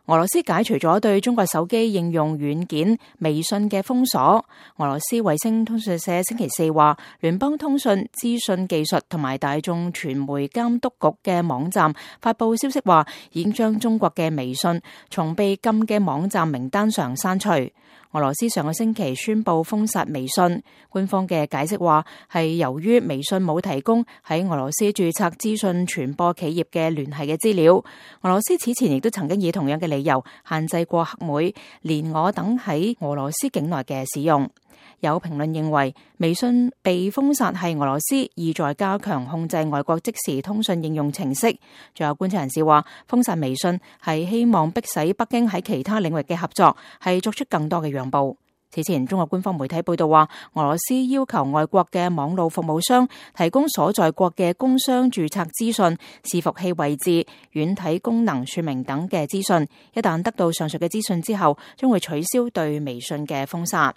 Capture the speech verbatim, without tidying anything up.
俄羅斯解除咗對中國手機應用軟件微信嘅封鎖。俄羅斯衛星通訊社星期四話，聯邦通訊、資訊技術同埋大眾傳媒監督局嘅網站發佈消息話，已經將中國嘅微信從被禁嘅網站名單上刪除。俄羅斯上個星期宣布封殺微信，官方嘅解釋話係由於微信冇提供喺俄羅斯註冊資訊傳播企業嘅聯繫嘅資料。俄羅斯此前亦都曾經以同樣嘅理由限制過黑莓、連我等喺俄羅斯境內嘅使用。有評論認為，微信被封殺係俄羅斯意在加強控制外國即時通訊應用程式。仲有觀察人士話，封殺微信係希望迫使北京喺其他領域嘅合作係作出更多嘅讓步。此前，中國官方媒體報道話，俄羅斯要求外國嘅網絡服務商提供所在國嘅工商註冊資訊、伺服器位置、軟體功能說明等嘅資訊。一旦得到上述嘅資訊之後，將會取消對微信嘅封殺。